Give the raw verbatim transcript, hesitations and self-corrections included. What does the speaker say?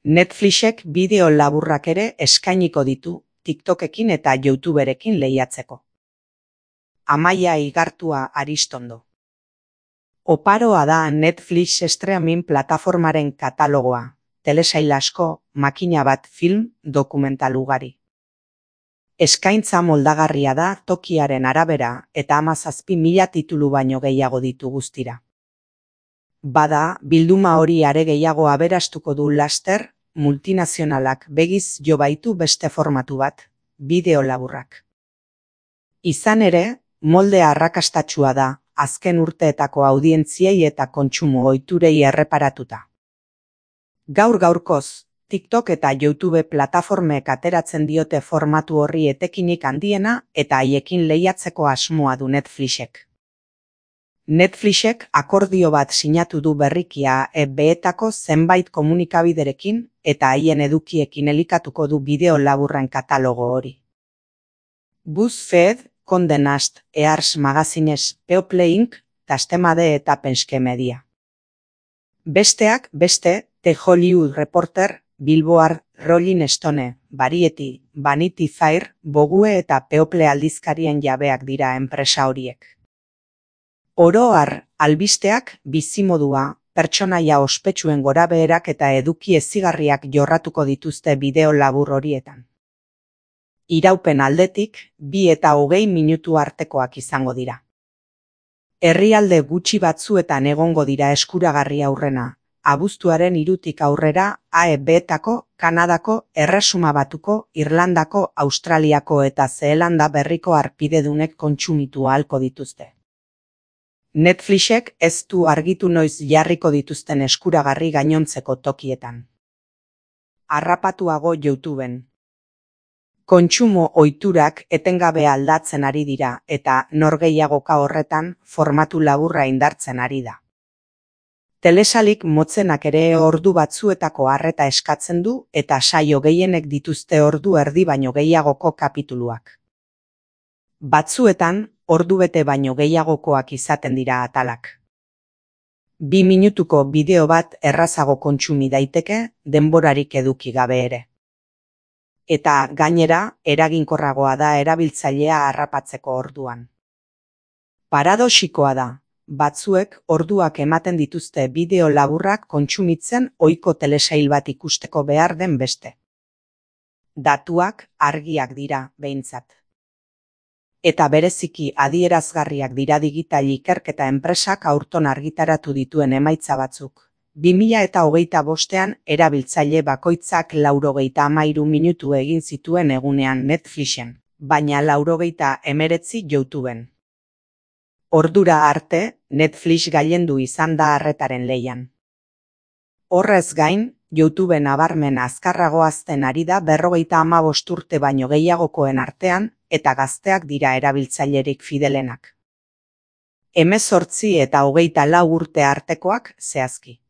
Netflixek bideo laburrak ere eskainiko ditu TikTokekin eta YouTuberekin lehiatzeko. Amaia Igartua Aristondo. Oparoa da Netflix streaming plataformaren katalogoa, telesail asko, makina bat film, dokumental ugari. Eskaintza moldagarria da tokiaren arabera eta hamazazpi mila titulu baino gehiago ditu guztira. Bada, bilduma hori are gehiago aberastuko du laster, multinazionalak begiz jo baitu beste formatu bat, bideo laburrak. Izan ere, molde arrakastatsua da, azken urteetako audientziei eta kontsumo ohiturei erreparatuta. Gaur gaurkoz, TikTok eta YouTube plataformek ateratzen diote formatu horri etekinik handiena eta haiekin lehiatzeko asmoa du Netflixek. Netflixek akordio bat sinatu du berrikia E B-etako zenbait komunikabiderekin eta haien edukiekin elikatuko du bideo laburren katalogo hori. BuzzFeed, Condé Nast, Ears Magazines, People inc, Tastemade eta Penske Media. Besteak beste, The Hollywood Reporter, Billboard, Rolling Stone, Variety, Vanity Fair, Vogue eta People aldizkarien jabeak dira enpresa horiek. Oro har, albisteak, bizimodua, pertsonaia ospetsuen gorabeherak eta eduki ezigarriak jorratuko dituzte bideo labur horietan. Iraupen aldetik, bi eta hogei minutu artekoak izango dira. Herrialde gutxi batzuetan egongo dira eskuragarri aurrena, abuztuaren hirutik aurrera A E B-etako, Kanadako, Erresuma Batuko, Irlandako, Australiako eta Zeelanda berriko harpidedunek kontsumitu ahalko dituzte. Netflixek ez du argitu noiz jarriko dituzten eskuragarri gainontzeko tokietan. Harrapatuago YouTubeen. Kontsumo ohiturak etengabe aldatzen ari dira eta norgehiagoka horretan formatu laburra indartzen ari da. Telesalik motzenak ere ordu batzuetako arreta eskatzen du eta saio gehienek dituzte ordu erdi baino gehiagoko kapituluak. Batzuetan, ordu bete baino gehiagokoak izaten dira atalak. Bi minutuko bideo bat errazago kontsumi daiteke, denborarik eduki gabe ere. Eta gainera, eraginkorragoa da erabiltzailea harrapatzeko orduan. Paradoxikoa da, batzuek orduak ematen dituzte bideo laburrak kontsumitzen ohiko telesail bat ikusteko behar den beste. Datuak argiak dira, behintzat. Eta bereziki adierazgarriak dira digital ikerketa enpresak aurton argitaratu dituen emaitza batzuk. bi mila hogeita bostean erabiltzaile bakoitzak laurogeita hamairu minutu egin zituen egunean Netflixen, baina laurogeita hemeretzi YouTubeen. Ordura arte, Netflix gailendu izan da arretaren lehian. Horrez gain, YouTube nabarmen azkarrago hazten ari da berrogeita hamabost urte baino gehiagokoen artean, eta gazteak dira erabiltzailerik fidelenak. Hemezortzi eta hogeita lau urte artekoak zehazki.